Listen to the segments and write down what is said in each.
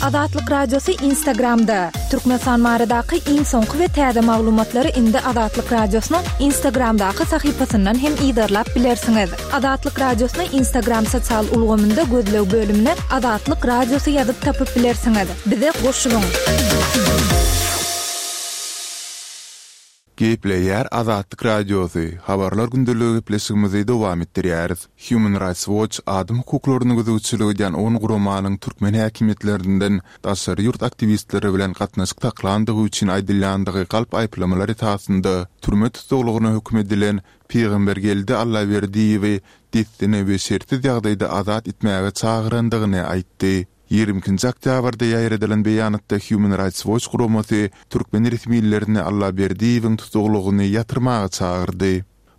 Azatlyk Radiosy Instagramda! Türkmenistan baradaky iň soňky we täze maglumatlary indi Azatlyk Radiosynyň Instagramdaky sahypasyndan hem yzarlap bilersiňiz. Azatlyk Radiosyny Instagram sosial ulgamynda gözleg bölümine Azatlyk Radiosy ýazyp tapyp bilersiňiz. Bize goşulyň! Gepleýär Azatlyk Radiosy, Habarlar gündeligi gepleşigimizi dowam etdirýäris. Human Rights Watch adam hukuklaryna gözegçilik edýän on guramanyň türkmen häkimiýetlerinden daşary ýurt aktiwistleri bilen gatnaşyk saklandygy üçin aýdylýandygy galp aýyplamalar esasynda türme tussaglygyna höküm edilen Pygambergeldi Allaberdiýewi dessine we şertsiz ýagdaýda azat etmäge çagyrandygyny aýtdy. 22-nji oktýabrda ýaýradylan beýanatda Human Rights Watch guramasy türkmen resmilerini Allaberdiýewiň tussaglygyny ýatyrmaga çagyrdy.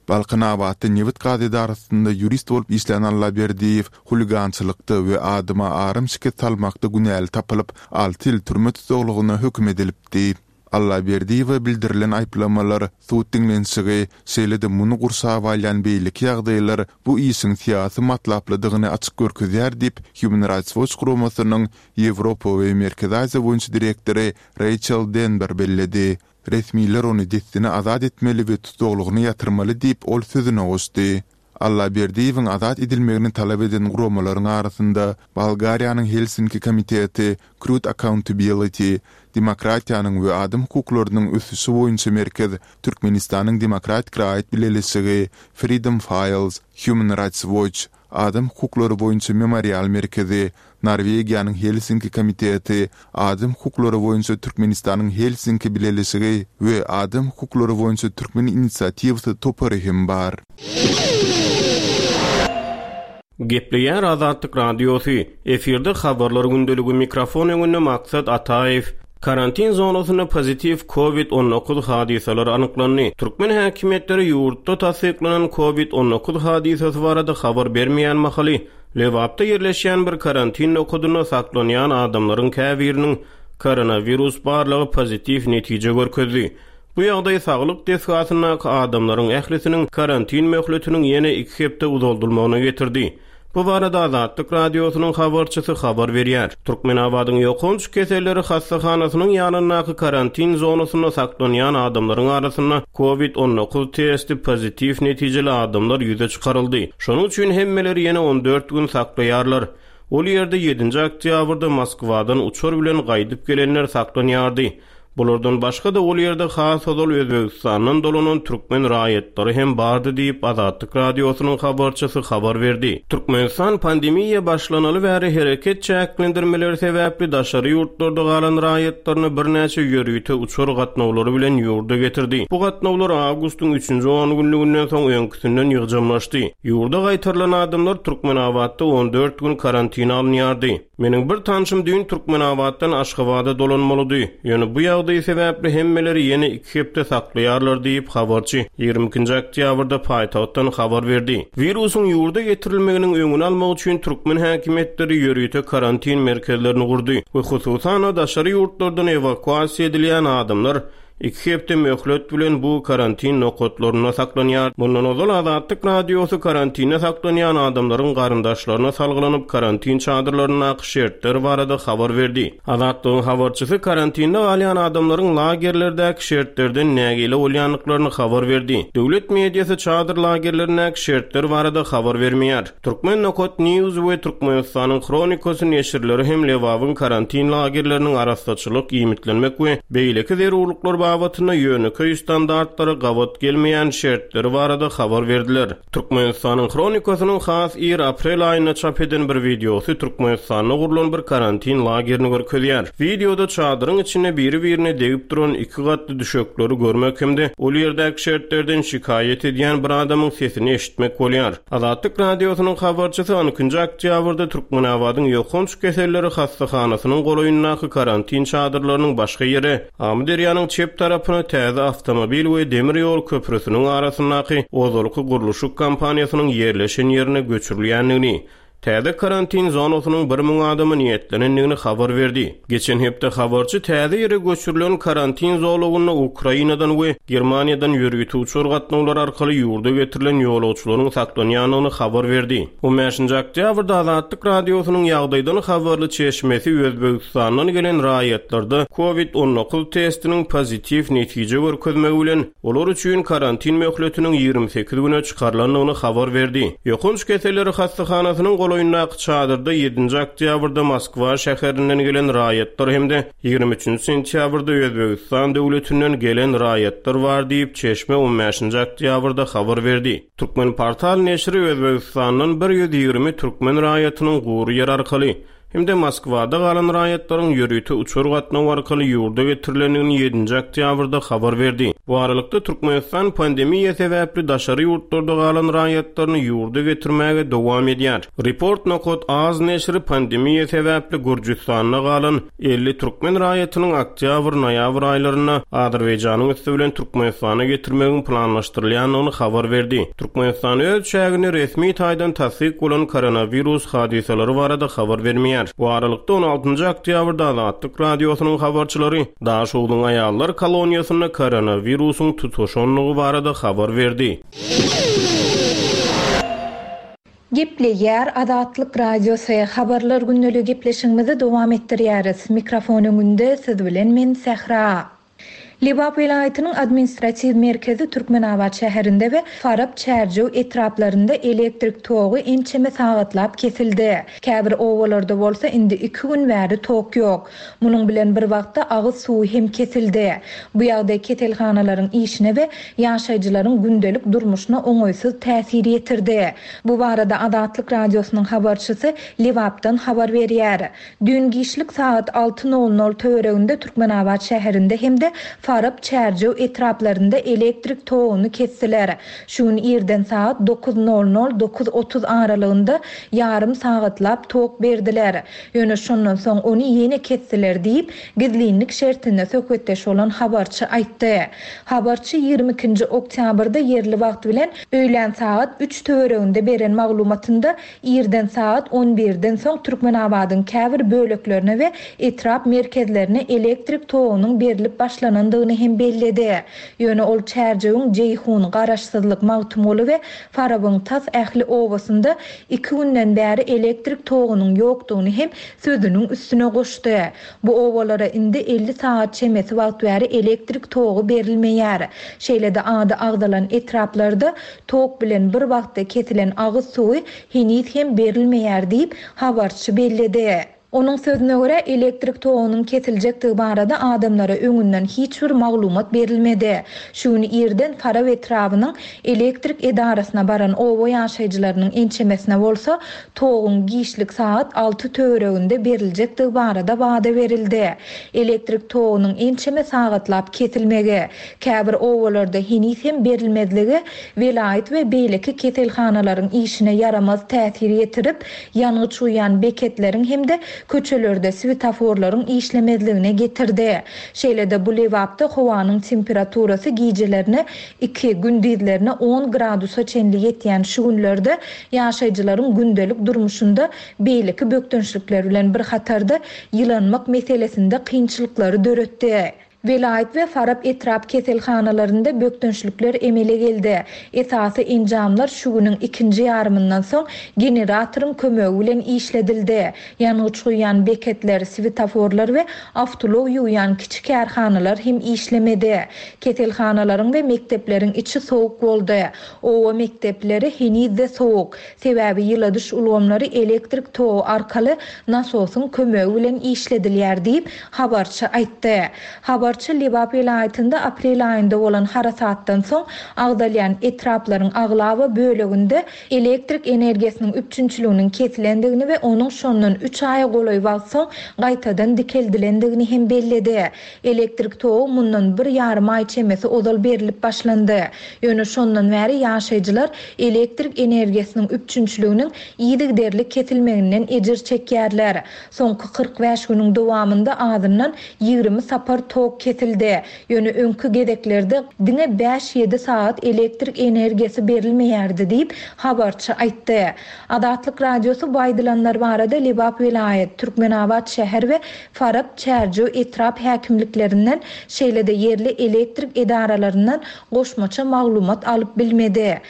Balkanabatda nebit-gaz edarasynda ýurist bolup işlän Allaberdiýew huligançylykda we adama aram şikes salmakda günäli tapylyp, alty ýyl türme tussaglygyna höküm edilipdi. Allaberdiýewe bildirilen aýyplamalar, sud diňlenişigi, şeýle-de muny gurşap alýan beýleki ýagdaýlar bu işiň syýasy matlaplydygyny açyk görkezýär diýip, Human Rights Watch guramasynyň Ýewropa we Merkezi Aziýa boýunça direktory Reýçel Denber belledi. Resmiler ony dessine azat etmeli we tussaglygyny ýatyrmaly diýip, ol sözüne goşdy. Allaberdiýewiň azat edilmegini talap eden guramalaryň arasynda Bolgariýanyň Helsinki komiteti, Krut Accountability, Demokratiýanyň we adam hukuklarynyň ösüşi boýunça merkez, Türkmenistanyň Demokratik raýat bileleşigi, Freedom Files, Human Rights Watch, Adam hukuklary boýunça Memorial merkezi, Norwegiýanyň Helsinki komiteti, Adam hukuklary boýunça Türkmenistanyň Helsinki bileleşigi we Adam hukuklary boýunça Türkmen inisiatiwasy topary hem bar. Gepleýär Azatlyk Radiosy, Efirde Habarlar gündeligi mikrofon öňünde Maksat Ataýew. Karantin zonasynda pozitiw Covid 19 hadysalary anyklandy. Türkmen häkimiýetleri ýurtda tassyklanan Covid 19 hadysasy barada habar bermeýän mahaly, Lebapda ýerleşýän bir karantin nokadynda saklanýan adamlaryň käbiriniň koronawirus barlagy pozitiw netije görkezdi. Bu ýagdaý saglyk desgasyndaky adamlaryň ählisiniň karantin möhletiniň ýene iki hepde uzaldylmagyna getirdi. Bu barada Azatlyk Radiosynyň habarçysy habar berýär. Türkmenabadyň ýokanç keselleri hassahanasynyň ýanyndaky karantin zonasynda saklanýan adamlaryň arasynda Covid 19 testi pozitiw netijeli adamlar ýüze çykaryldy. Şonuň üçin hemmeleri ýene 14 gün saklaýarlar. Ol ýerde ýedinji oktýabrda Moskwadan uçar bilen gaýdyp gelenler saklanýardy. Bulardan başga-da ol ýerde has ozal Özbegistandan dolanan türkmen raýatlary hem bardy diýip, Azatlyk Radiosynyň habarçysy habar berdi. Türkmenistan pandemiýa başlanaly bäri hereket çäklendirmeleri sebäpli daşary ýurtlarda galan raýatlaryny birnäçe ýörite uçar gatnawlary bilen ýurda getirdi. Bu gatnawlar awgustyň üçünji ongünlüginden soň öňküsinden ýygjamlaşdy. Ýurda gaýtarylan adamlar Türkmenabatda 14 gün karantina alynýardy. Meniň bir tanşym düýn Türkmenabatdan Aşgabada dolanmalydy. Ýöne bu ýagdaý sebäpli hemmeleri ýene iki hepde saklaýarlar diýip, habarçy ýigrimi ikinji oktýabrda paýtagtdan habar berdi. Wirusyň ýurda getirilmeginiň öňüni almak üçin türkmen häkimiýetleri ýörite karantin merkezlerini gurdy we hususan-da daşary ýurtlardan ewakuasiýa edilýän adamlar Iki hepde möhlet bilen bu karantin nokatlarynda saklanýar. Mundan ozal Azatlyk Radiosy karantinde saklanýan adamlaryň garyndaşlaryna salgylanyp, karantin çadyrlaryndaky şertler barada habar berdi. Azatlygyň habarçysy karantinde galýan adamlaryň lagerlerdäki şertlerden nägile bolýandyklaryny habar berdi. Döwlet mediasy çadyr lagerlerindäki şertler barada habar bermeýär. Turkmen nokat news we Türkmenistanyň Hronikasy neşirleri hem Lebabyň karantin lagerleriniň arassaçylyk, iýmitlenmek we beýleki zerurlyklar babatynda ýönekeý standartlara gabat gelmeýän şertleri barada habar berdiler. Türkmenistanyň Hronikasynyň has ir aprel aýynda çap eden bir wideosy Türkmenistanda gurlan bir karantin lagerini görkezýär. Wideoda çadyryň içinde biri-birine degip duran iki gatly düşekleri görmek hem-de ol ýerdäki şertlerden şikaýat edýän bir adamyň sesini eşitmek bolýar. Azatlyk Radiosynyň habarçysy on ikinji oktýabrda Türkmenabadyň ýokanç keselleri hassahanasynyň golaýyndaky karantin çadyrlarynyň başga ýere, Amyderýanyň çep tarapyna täze awtomobil we demir ýol köprüsiniň arasyndaky ozalky gurluşyk kompaniýasynyň ýerleşen ýerine göçürilýändigini, täze karantin zonasynyň 1000 adama niýetlenendigini habar berdi. Geçen hepde habarçy täze ýere göçürilen karantin zolagynda Ukrainadan we Germaniýadan ýörite uçar gatnawlary arkaly ýurda getirilen ýolagçylaryň saklanýandygyny habar berdi. On bäşinji oktýabrda Azatlyk Radiosynyň ýagdaýdan habarly çeşmesi Özbegistandan gelen raýatlarda Covid 19 testiniň pozitiw netije görkezmegi bilen, olar üçin karantin möhletiniň 28 güne çykarylandygyny habar berdi. Ýokanç keselleri hassahanasynyň golaýyndaky çadyrda ýedinji oktýabrda Moskwa şäherinden gelen raýatlar hem-de 23-nji sentýabrda Özbegistan döwletinden gelen raýatlar bar diýip, çeşme on bäşinji oktýabrda habar berdi. Türkmenportal neşiri Özbegistandan 120 türkmen raýatynyň gury ýer arkaly hem-de Moskwada galan raýatlaryň ýörite uçar gatnawy arkaly ýurda getirilendigini ýedinji oktýabrda habar berdi. Bu aralykda, Türkmenistan pandemiýa sebäpli daşary ýurtlarda galan raýatlaryny ýurda getirmäge dowam edýär. Report nokat az neşiri pandemiýa sebäpli Gürjüstanda galan 50 türkmen raýatynyň oktýabr-noýabr aýlarynda Azerbaýjanyň üsti bilen Türkmenistana getirmegiň planlaşdyrylýandygyny habar berdi. Türkmenistan öz çäginde resmi taýdan tassyk bolan koronawirus hadysalary barada habar bermeýär. Bu aralykda, on altynjy oktýabrda Azatlyk Radiosynyň habarçylary Daşogzuň aýallar koloniýasynda koronawirusyň tutaşandygy barada habar berdi. Gepleýär Azatlyk Radiosy, Habarlar gündeligi gepleşigimizi dowam etdirýäris. Mikrofon öňünde siz bilen men Sähra. Lebap welaýatynyň administratiw merkezi Türkmenabat şäherinde we Farap, Çärjew etraplarynda elektrik togy ençeme sagatlap kesildi. Käbir obalarda bolsa indi iki gün bäri tok ýok. Munuň bilen bir wagtda agyz suwy hem kesildi. Bu ýagdaý keselhanalaryň işine we ýaşaýjylaryň gündelik durmuşyna oňaýsyz täsir ýetirdi. Bu barada Azatlyk Radiosynyň habarçysy Lebapdan habar berýär. Düýn giçlik sagat alty nol nol töwereginde Türkmenabat şäherinde hem-de Farap, Çärjew etraplarynda elektrik toguny kesdiler. Şu gün irden sagat dokuz nol nol, 9:30 aralygynda ýarym sagatlap tok berdiler. Ýöne şondan soň ony ýene kesdiler diýip, gizlinlik şertinde söhbetdeş bolan habarçy aýtdy. Habarçy 22 nji oktýabrda ýerli wagt bilen öýlän sagat üç töwereginde beren maglumatynda, irden sagat on birden soň Türkmenabadyň käbir böleklerine we etrap merkezlerine elektrik togunyň berlip başlanandygyny hem belledi. Ýöne ol Çärjewiň Jeýhun, Garaşsyzlyk, Magtymguly we Farabyň tas ähli obasynda iki günden bäri elektrik togunyň ýokdugyny hem sözüniň üstüne goşdy. Bu obalara indi 50 sagat çemesi wagt bäri elektrik togy berilmeýär. Şeýle-de ady agzalan etraplarda tok bilen bir wagtda kesilen agyz suwy heniz hem berilmeýär diýip, habarçy belledi. Onuň sözüne görä, elektrik togunyň kesiljekdigi barada adamlara öňünden hiç bir maglumat berilmedi. Şu gün irden Farap etrabynyň elektrik edarasyna baran oba ýaşaýjylarynyň ençemesine bolsa, toguň giçlik sagat alty töwereginde beriljekdigi barada wada berildi. Elektrik togunyň ençeme sagatlap kesilmegi, käbir obalarda heniz hem berilmezligi welaýat we beýleki keselhanalaryň işine ýaramaz täsir ýetirip, ýangyç guýýan beketleriň hem-de köçelerde swetoforlaryň işlemezligine getirdi. Şeýle-de bu Lebapda howanyň temperaturasy gijelerine iki, gündizlerine on gradusa çenli ýetýän şu günlerde ýaşaýjylaryň gündelik durmuşynda beýleki bökdençlikler bilen bir hatarda ýylanmak meselesinde kynçylyklary döretdi. Welaýat we Farap etrap keselhanalarynda bökdençlikler emele geldi. Esasy enjamlar şu günüň ikinji ýarymyndan soň generatoryň kömegi bilen işledildi. Ýangyç guýýan beketler, swetoforlar we awtoulag ýuwýan kiçi kärhanalar hem işlemedi. Keselhanalaryň we mekdepleriň içi sowuk boldy. Oba mekdepleri heniz-de sowuk. Sebäbi ýyladyş ulgamlary elektrik togy arkaly nasosyň kömegi bilen işledilýär diýip, habarçy aýtdy. Habarçy Lebap welaýatynda aprel aýynda bolan harasatdan soň agzalýan etraplaryň aglaba böleginde elektrik energiýasynyň üpjünçiliginiň kesilendigini we onuň şondan üç aýa golaý wagt soň gaýtadan dikeldilendigini hem belledi. Elektrik togy mundan bir ýarym aý çemesi ozal berlip başlandy. Ýöne şondan bäri ýaşaýjylar elektrik energiýasynyň üpjünçiliginiň yzygiderli kesilmeginden ejir çekýärler. Soňky 45 günüň dowamynda azyndan 20 sapar tok kesildi. kesildi. Ýöne öňki gezeklerde diňe bäş-ýedi sagat elektrik energiýasy berilmeýärdi diýip, habarçy aýtdy. Azatlyk Radiosy bu aýdylanlar barada Lebap welaýat, Türkmenabat şäher we Farap, Çärjew etrap häkimliklerinden, şeýle-de ýerli elektrik edaralaryndan goşmaça maglumat alyp bilmedi.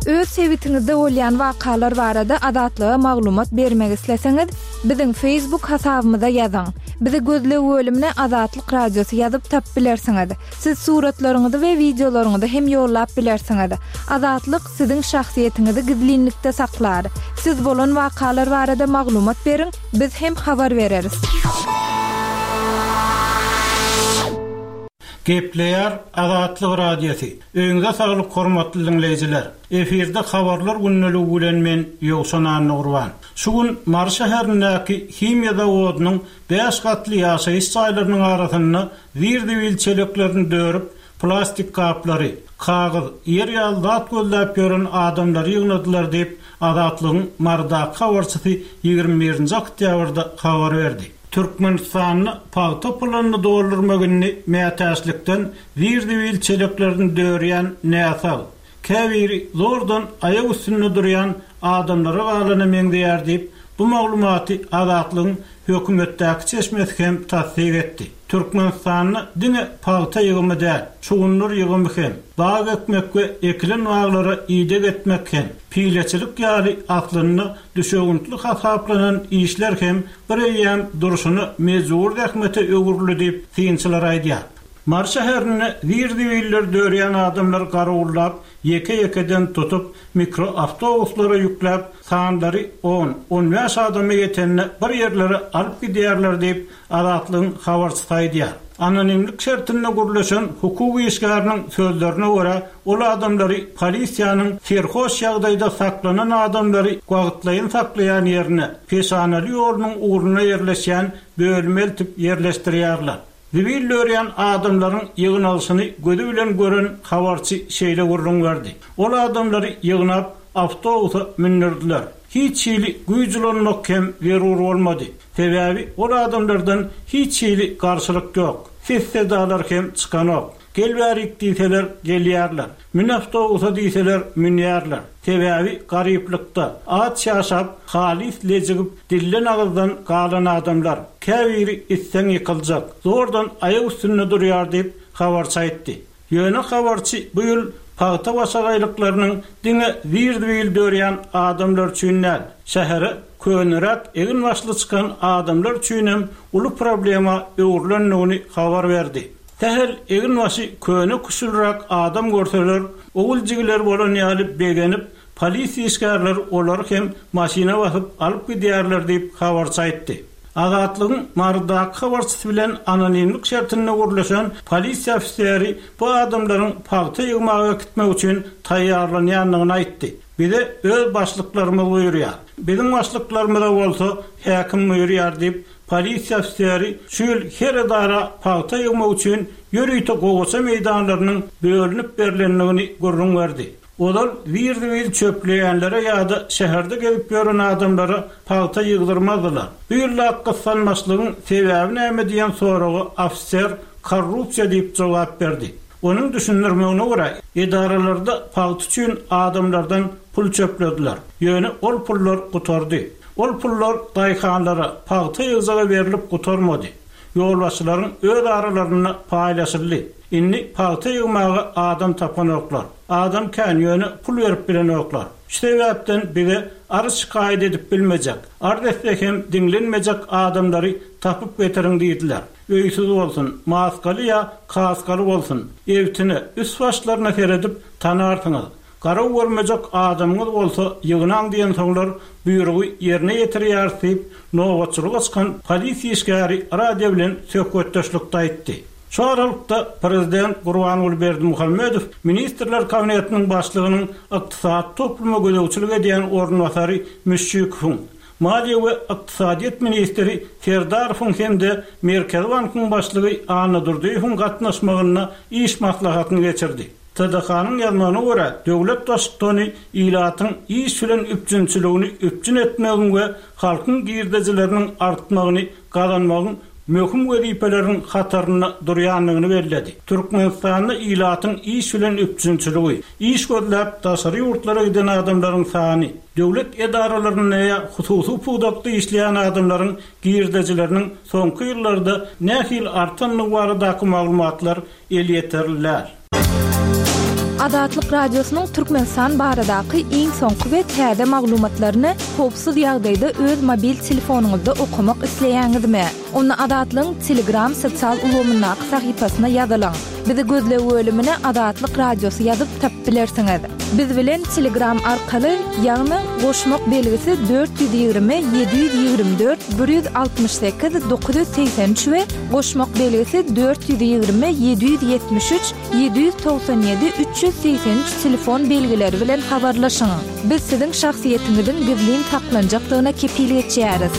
Öz sebitiňizde bolýan wakalar barada Azatlyga maglumat bermek isleseňiz, biziň Facebook hasabymyza ýazyň. Bizi gözleg bölümine Azatlyk Radiosy ýazyp tapyp bilersiňiz. Siz suratlaryňyzy we wideolaryňyzy hem ýollap bilersiňiz. Azatlyk siziň şahsyýetiňizi gizlinlikde saklar. Siz bolan wakalar barada maglumat beriň, biz hem habar bereris. Gepleýär Azatlyk Radiosy. Öýüňize saglyk hormatly diňleýjiler. Efirde habarlar gündeligi bilen men Ýowşan Annagurban. Şu gün Mary şäherindäki himiýa zawodynyň bäş gatly ýaşaýyş jaýlarynyň arasynda zir-zibil çeleklerini dörüp, plastik gaplary, kagyz, ýer ýaly zat gözläp ýören adamlary ýygnadylar diýip, Azatlygyň Marydaky habarçysy 21 nji oktýabrda habar berdi. Türkmenistanda pagta pylanyny doldurmak indi mätäçlikden zir-zibil çeleklerini dörýän näsag, käbiri zordan aýak üstünde durýan adamlara galana meňzeýär diýip, bu maglumaty Azatlygyň hökümetdäki çeşmesi hem tassyk etdi. Türkmenistanda diňe pagta ýygymy däl, şugundyr ýygymy hem, bag ekmek we ekilen baglara ideg etmek hem, pileçilik ýaly aslynda düşewüntli hasaplanan işler hem bir eýýäm durşuna mejbury zähmete öwrüldi diýip, synçylar aýdýar. Mary şäherinde zir-zibilleri dörýän adamlar garawullap, ýeke-ýekeden tutup, mikroawtobuslara ýükläp, sanlary on, on bäş adama ýetende bir ýerlere alyp gidýärler diýip, Azatlygyň habarçysy aýdýar. Anonimlik şertinde gürleşen hukuk işgäriniň sözlerine görä, ol adamlary polisiýanyň serhoş ýagdaýda saklanan adamlary wagtlaýyn saklaýan ýerine, Peşanaly ýolunyň ugrunda ýerleşýän bölüme eltip ýerleşdirýärler. Zibil dörýän adamlaryň ýygnalyşyny gözi bilen gören habarçy şeýle gürrüň berdi, Ol adamlary ýygnap, awtobusa mündürdiler. Hiç hili güýç ulanmak hem zerur bolmady. Sebäbi ol adamlardan hiç hili garşylyk ýok. Ses-sedalar hem çykanok. Gel bärik diýseler, gelýärler. Mün awtobusa diýseler, münýärler. Sebäbi garyplykda, aç ýaşap, halys lejigip, dilden-agyzdan galan adamlar. Käbiri itseň ýykyljak, zordan aýak üstünde durýar diýip, habarçy aýtdy. Ýöne habarçy bu ýyl pagta başagaýlyklarynyň diňe zir-zibil dörýän adamlar üçin däl, şähere köneräk egin-başly çykan adamlar üçinem uly problema öwrülendigini habar berdi. Sähel eginbaşy köne-küşülräk adam görseler, ogul jigileri bolan ýaly begenip, polisiýa işgärleri olary hem maşyna basyp alyp gidýärler diýip, habarçy aýtdy. Azatlygyň Marydaky habarçysy bilen anonimlik şertinde gürleşen polisiýa ofiseri bu adamlaryň pagta ýygmaga gitmek üçin taýýarlanýandygyny aýtdy. Bize öz başlyklarymyz buýurýar. Biziň başlyklarymyza bolsa häkim buýurýar diýip, Polisiýa ofiseri şu ýyl her edara pagta ýygmak üçin ýörite gowaça meýdanlarynyň bölünip berlendigini gürrüň berdi. Ozal zir-zibil çöpleýänlere ýa-da şäherde gezip ýören adamlara pagta ýygdyrmazdylar. Bu ýyldaky gyssanmaçlygyň sebäbi näme diýen soraga ofiser korrupsiýa diýip jogap berdi. Onuň düşündirmegine görä, edaralarda pagta üçin adamlardan pul çöplediler. Ýöne ol pullar gutardy. Ol pullar daýhanlara, pagta ýygjaga berlip gutarmady. Ýolbaşçylaryň öz aralarynda paýlaşyldy. Indi pagta ýygmaga adam tapanoklar. Adam kän, ýöne pul berip bilenoklar. Şu sebäpden bize arz-şikaýat edip bilmejek, arz etse hem diňlenmejek adamlary tapyp getiriň diýdiler. Öýsüz bolsun, maskaly ýa kaskaly bolsun, ebtine, üst-başlaryna seredip tanarsyňyz. Garaw görmejek adamyňyz bolsa ýygnaň diýensoňlar buýrugy ýerine ýetirýäris diýip, nobatçylyga çykan polisiýa işgäri radio bilen söhbetdeşlikde aýtdy. Şu aralykda, prezident Gurbanguly Berdimuhamedow Ministrler Kabinetiniň başlygynyň ykdysady topluma gözegçilik edýän orunbasary Müşşikowyň, maliýe we ykdysadyýet ministri Serdarowyň hem-de Merkezi bankyň başlygy Annadurdyýewiň gatnaşmagynda iş maslahatyny geçirdi. TDH-nyň ýazmagyna görä, döwlet Baştutany ilatyň iş bilen üpjünçiligini üpjün etmegiň we halkyň girdejileriniň artmagyny gazanmagyň möhüm wezipeleriň hatarynda durýandygyny belledi. Türkmenistanda ilatyň iş bilen üpjünçiligi, iş gözläp daşary ýurtlara giden adamlaryň sany, döwlet edaralarynda ýa hususy pudakda işleýän adamlaryň girdejileriniň soňky ýyllarda nähili artandygy baradaky maglumatlar elýeterli däl. Azatlyk Radiosynyň Türkmenistan baradaky iň soňky we täze maglumatlaryny howpsuz ýagdaýda öz mobil telefonyňyzda okamak isleýäňizmi? Onda Azatlygyň Telegram sosial ulgamyndaky sahypasyna ýazylyň. Bizi gözleg bölümine Azatlyk Radiosy ýazyp tapyp bilersiňiz. Biz bilen Telegram arkaly, ýagny goşmak belgisi 420 724 168 983 we goşmak belgisi 420 773 797 383 telefon belgileri bilen habarlaşyň. Biz siziň şahsyýetiňiziň gizlin saklanjakdygyna kepil geçýäris.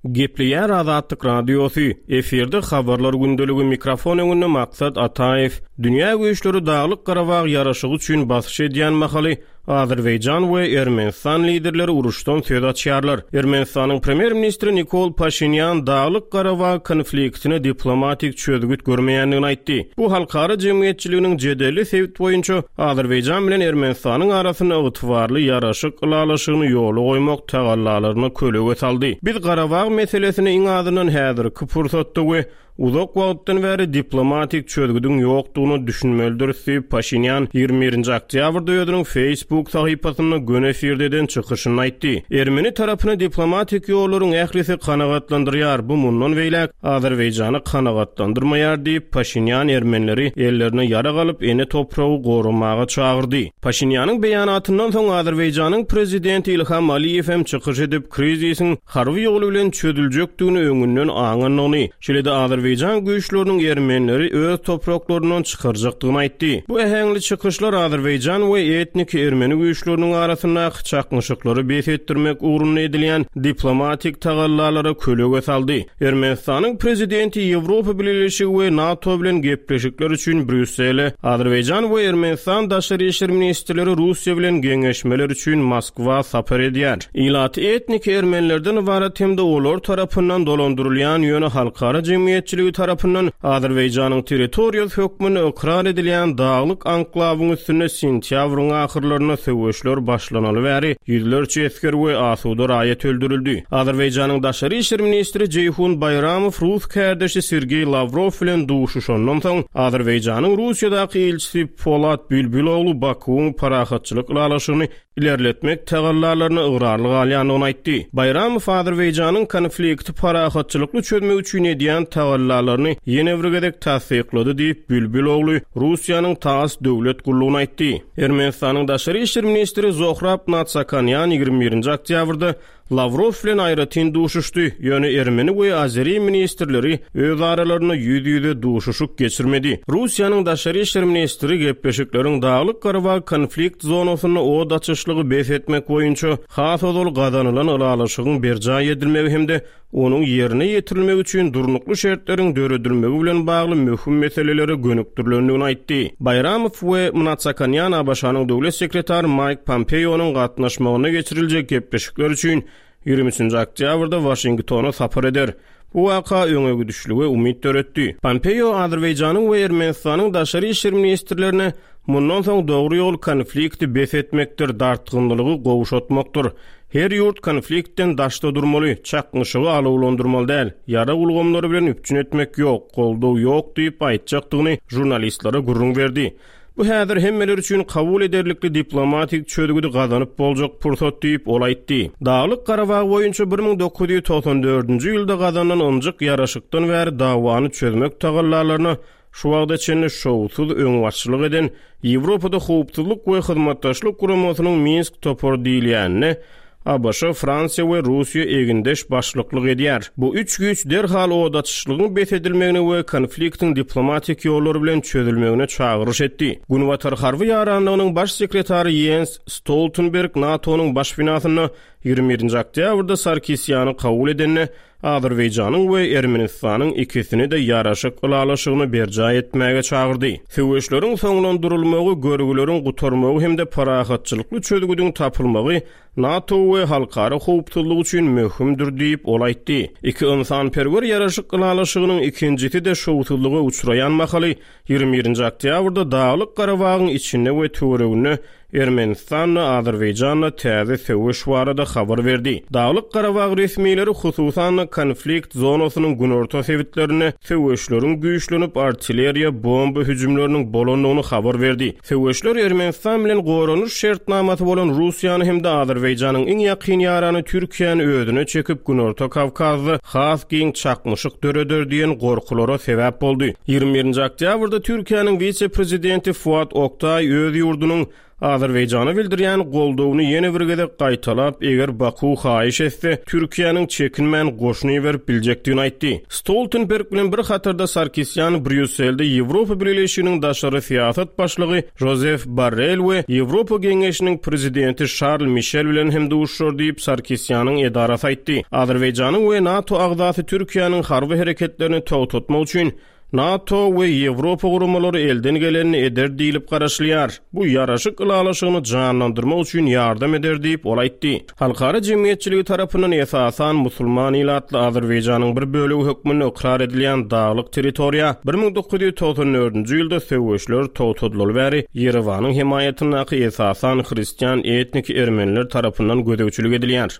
Gepleýär Azatlyk Radiosy, efirde Habarlar gündeligi mikrofon öňünde Maksat Ataýew. Dünýä güýçleri Daglyk-Garabag ýaraşygy üçin basyş edýän mahaly Azerbaýjan we Ermenistan liderleri uruşdan söz açýarlar. Ermenistanyň premýer-ministri Nikol Paşinýan Daglyk-Garabag konfliktine diplomatik çözgüt görmeýändigini aýtdy. Bu halkara jemgyýetçiliginiň jedelli sebit boýunça Azerbaýjan bilen Ermenistanyň arasynda ygtybarly ýaraşyk ylalaşygyny ýola goýmak tagallalaryna kölege saldy. Biz Garabag meselesine iň azyndan häzirki pursatda we uzak wagtdan bäri diplomatik çözgüdiň ýokdugyna düşünmelidiris diýip, Paşinýan 21-nji oktýabrda özüniň Facebook sahypasynda göni efirde eden çykyşynda aýtdy. Ermeni tarapyny diplomatik ýollaryň ählisi kanagatlandyrýar, bu mundan beýläk Azerbaýjany kanagatlandyrmaýar diýip, Paşinýan ermenileri ellerine ýarag alyp, ene topragy goramaga çagyrdy. Paşinýanyň beýanatyndan soň Azerbaýjanyň prezidenti Ilham Aliýew hem çykyş edip, krizisiň harby ýol bilen çözüljekdigini öňünden aňandygyny, şeýle-de azerbaýjan güýçleriniň ermenileri öz topraklaryndan çykarjakdygyny aýtdy. Bu äheňli çykyşlar azerbaýjan we etniki ermeni güýçleriniň arasyndaky çaknyşyklary bes etdirmek ugrunda edilýän diplomatik tagallalara kölege saldy. Ermenistanyň prezidenti Ýewropa Bileleşigi we NATO bilen gepleşikler üçin Brýussele, Azerbaýjan we Ermenistan daşary işler ministrleri Russiýa bilen geňeşmeler üçin Moskwa sapar edýär. Ilaty etniki ermenilerden ybarat hem-de olar tarapyndan dolandyrylýan, ýöne halkara jemgyýetçiligi tarapyndan Azerbaýjanyň territoriýasy hökmünde ykrar edilýän daglyk anklawyň üstünde sentýabryň ahyrlarynda söweşler başlanaly bäri ýüzlerçe esger we asuda raýat öldürildi. Azerbaýjanyň daşary işler ministri Jeýhun Baýramow rus kärdeşi Sergeý Lawrow bilen duşuşandan soň, Azerbaýjanyň Russiýadaky ilçisi Polat Bülbüloglu Bakuwyň parahatçylyk ylalaşygyny ilerletmek tagallalaryna ygrarly galýandygyny aýtdy. Baýramow Azerbaýjanyň konflikti parahatçylykly çözmek üçin edýän tagallalaryny ýene bir gezek tassyklady diýip, Bülbüloglu Russiýanyň TASS döwlet gullugyna aýtdy. Ermenistanyň daşary işler ministri Zohrab Natsakanýan 21-nji oktýabrda Lawrow bilen aýratyn duşuşdy, ýöne ermeni we azeri ministrleri öz aralarynda ýüz-ýüze duşuşyk geçirmedi. Russiýanyň daşary işler ministri gepleşikleriň Daglyk-Garabag konflikt zonasynda od açyşlygy bes etmek boýunça has ozal gazanylan ylalaşygyň berjaý edilmegi hem-de onuň ýerine ýetirilmegi üçin durnukly şertleriň döredilmegi bilen bagly möhüm meselelere gönükdirilendigini aýtdy. Baýramow we Mnatsakanýan ABŞ-nyň döwlet sekretary Maýk Pompeonyň gatnaşmagynda geçiriljek gepleşikler üçin 23-nji oktýabrda Waşingtona sapar eder. Bu waka öňegidişlige umyt döretdi. Pompeo Azerbaýjanyň we Ermenistanyň daşary işler ministrlerine mundan soň dogry ýol konflikti bes etmekdir, dartgynlylygy gowşatmakdyr. Her ýurt konfliktden daşda durmaly, çaknyşygy alawlandyrmaly däl, ýarag ulgamlary bilen üpjün etmek ýok, goldaw ýok diýip aýtjakdygyny žurnalistlere gürrüň berdi. Bu häzir hemmeler üçin kabul ederlikli diplomatik çözgüdi gazanyp boljak pursat diýip, ol aýtdy. Daglyk Garabag boýunça 1994-nji ýylda gazanylan ynjyk ýaraşykdan bäri dawany çözmek tagallalaryna Şu wagta çenli şowsuz öňbaşçylyk eden Ýewropada Howpsuzlyk we Hyzmatdaşlyk Guramasynyň Minsk topary diýilýänine ABŞ, Fransiýa we Russiýa egindeş başlyklyk edýär. Bu üç güýç derhal od açyşlygyň bes edilmegine we konfliktiň diplomatik ýollar bilen çözülmegine çagyryş etdi. Günbatar harby ýaranlygynyň baş sekretary Ýens Stoltenberg NATO-nyň baş binasynda. 21-nji oktýabrda Sarkisýany kabul edende, Azerbaýjanyň we Ermenistanyň ikisini-de ýaraşyk ylalaşygyny berjaý etmäge çagyrdy. Söweşleriň soňlandyrylmagy, görgüleriň gutarmagy hem-de parahatçylykly çözgüdiň tapylmagy NATO we halkara howpsuzlygy üçin möhümdir diýip, ol aýtdy. Iki ynsanperwer ýaraşyk ylalaşygynyň ikinjisi-de şowsuzlyga uçraýan mahaly, 21-nji oktýabrda Daglyk Garabagyň içinde we töwereginde Ermenistan-da, Azerbaýjan-da täze söweş barada habar berdi. Daglyk Garabag resmileri, hususan-da, konflikt zonasynyň günorta sebitlerinde söweşleriň güýçlenip, artilleriýa, bomba hüjümleriniň bolandygyny habar berdi. Söweşler Ermenistan bilen goranyş şertnamasy bolan Russiýany hem-de Azerbaýjanyň iň ýakyn ýarany Türkiýäni özüne çekip, Günorta Kawkazda has giň çaknyşyk döreder diýen gorkulara sebäp boldy. 21-nji oktýabrda Türkiýäniň wise-prezidenti Fuat Oktaý öz ýurdunyň Azerbaýjana bildirýän goldawyny ýene bir gezek gaýtalap, eger Baku haýyş etse, Türkiýäniň çekinmän goşun iberip biljekdigini aýtdy. Stoltenberg bilen bir hatarda Sarkisýan Brýusselde Ýewropa Bileleşiginiň daşary syýasat başlygy Žozef Borrel we Ýewropa Geňeşiniň prezidenti Şarl Mişel bilen hem duşuşar diýip, Sarkisýanyň edarasy aýtdy. Azerbaýjanyň we NATO agzasy Türkiýäniň harby hereketlerini togtatmak üçin NATO we Ýewropa guramalary elden gelenini eder diýlip garaşylýar. Bu ýaraşyk ylalaşygyny janlandyrmak üçin ýardam eder diýip, ol aýtdy. Halkara jemgyýetçiligi tarapyndan esasan musulman ilatly Azerbaýjanyň bir bölegi hökmünde ykrar edilýän daglyk territoriýa 1994-nji ýylda söweşler togtadylaly bäri Ýerewanyň hemaýatyndaky esasan hristian etniki ermeniler tarapyndan gözegçilik edilýär.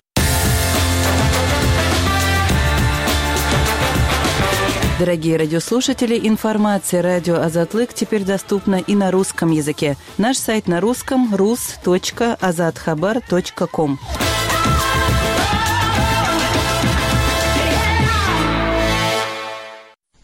Дорогие радиослушатели, информация радио Азатлык теперь доступна и на русском языке. Наш сайт на русском rus.azathabar.com.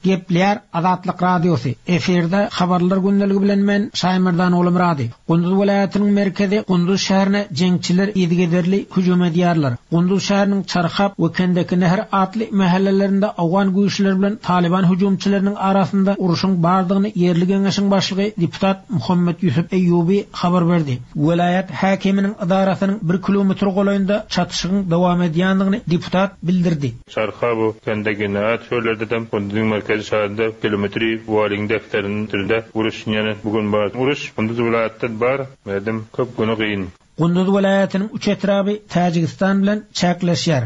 Gepleýär Azatlyk Radiosy, Efirde Habarlar gündeligi bilen men, Şaýmerdan Ogulmyrady. Gunduz welaýatynyň merkezi Gunduz şäherine jeňçiler yzygiderli hüjüm edýärler. Gunduz şäheriniň Çarhap we Kendeki Nehir atly mähellelerinde owgan güýçleri bilen Talyban hüjümçileriniň arasynda urşuň bardygyny ýerli geňeşiň başlygy deputat Muhammet Ýusup Eýýubi habar berdi. Welaýat häkiminiň edarasynyň bir kilometr golaýynda çatyşygyň dowam edýändigini deputat bildirdi. Çarhabu, Kendegina, çöllerdedem Kunduzyň merkezi şäherinde kilometri walyň defterinde uruş ýene bu gün bar. Uruş Kunduz welaýatda bar, merdim köp güni gyn. Gunduz welaýatynyň üç etraby Täjigistan bilen çäkleşýär.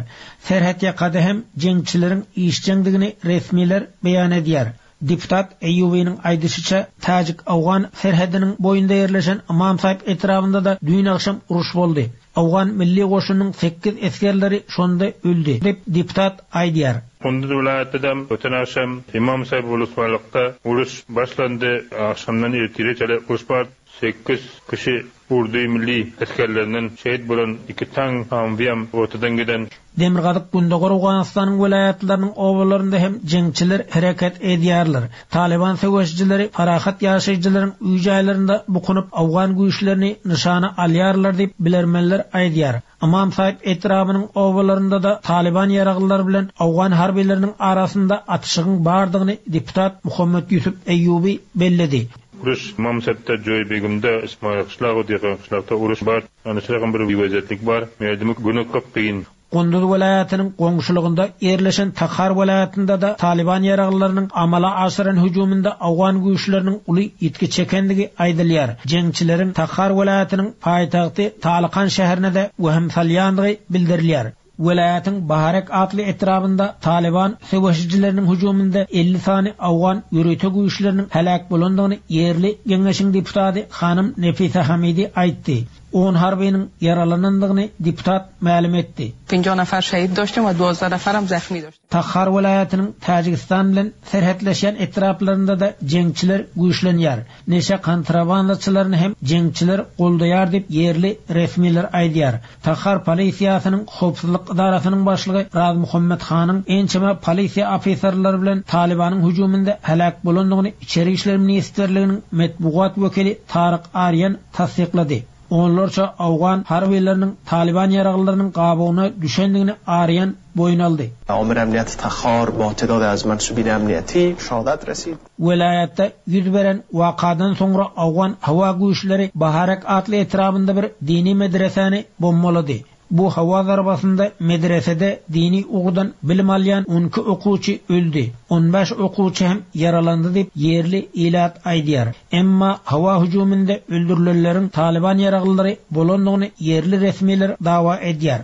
Serhetýakada hem jeňçileriň işjeňdigini resmiler beýan edýär. Deputat Eýýubynyň aýdyşyça, täjik-owgan serhediniň boýunda ýerleşen Ymam Saýyp etrabynda-da düýn agşam uruş boldy. Owgan milli goşunynyň sekiz esgerleri şonda öldi, diýip, deputat aýdýar. Kunduz welaýatda-da öten agşam Ymam Saýyp wlyswalykda uruş başlandy. Agşamdan ertire çenli uruş bar. Sekiz kişi urdy milli esgerlerinden şehit bolan iki taň Hamwiýam ortadan giden. Demirgazyk-gündogar Owganystanyň welaýatlarynyň obalarynda hem jeňçiler hereket edýärler. Talyban söweşijileri parahat ýaşaýjylaryň öý-jaýlarynda bukunyp, owgan güýçlerini nyşana alýarlar diýip, bilermenler aýdýar. Ymam Saýyp etrabynyň obalarynda-da talyban ýaraglylary bilen owgan harbylarynyň arasynda atyşygyň bardygyny deputat Muhammet Ýusup Eýýuby belledi. Uruş Ymam Saýypda, Joýbegimde, Ismaýyl gyşlagy, Diýgan gyşlakda uruş bar. Anyşragam bir wezetlik bar. Merdimi güni köp gyn. Gunduz welaýatynyň goňşulygynda ýerleşen Takhar welaýatynda-da Talyban ýaraglylarynyň amala aşyran hüjüminde owgan güýçleriniň uly ýitgi çekendigi aýdylýar. Jeňçileriň Takhar welaýatynyň paýtagty Talykan şäherine-de wehim salýandygy bildirilýär. Welaýatyň Baharek atly etrabynda Talyban söweşijileriniň hüjüminde 50 sany owgan ýörite güýçleriniň heläk bolandygyny ýerli geňeşiň deputady hanym Nefise Hamidi aýtdy. On harbynyň ýaralanandygyny deputat mälim etdi. Penjo nafar şehit doştim we duozda nafaram zahmi doştim. Takhar welaýatynyň Täjigistan bilen serhetleşýän etraplarynda-da jeňçiler güýçlenýär. Neşe kontrabandaçylaryny hem jeňçiler goldaýar diýip, ýerli resmiler aýdýar. Takhar polisiýasynyň howpsuzlyk edarasynyň başlygy Razmuhammet Hanyň ençeme polisiýa ofiserleri bilen Talybanyň hüjüminde heläk bolandygyny Içeri işler ministrliginiň metbugat wekili Taryk Arýan tassyklady. Onlarça owgan harbylarynyň Talyban ýaraglylarynyň gabawyna düşendigini Arýan boýun aldy. Amir amniyati Takhar ba tedad az mansubin amniyati shahadat rasid. Welaýatda ýüz beren wakadan soňra owgan howa güýçleri Baharek atly etrabynda bir dini medresäni bombalady. Bu howa zarbasynda medresede dini ugurdan bilim alýan 12 okuwçy öldi, on bäş okuwçy hem ýaralandy diýip, ýerli ilat aýdýar. Emma howa hüjüminde öldürilenleriň Talyban ýaraglylary bolandygyny ýerli resmiler dawa edýär.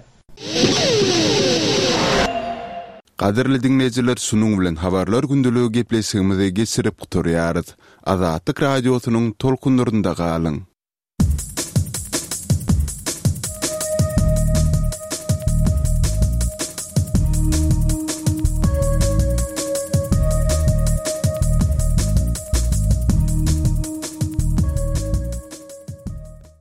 Gadyrly diňleýjiler şunuň bilen Habarlar gündeligi gepleşigimizi geçirip gutarýarys. Azatlyk Radiosynyň tolkunlarynda galyň!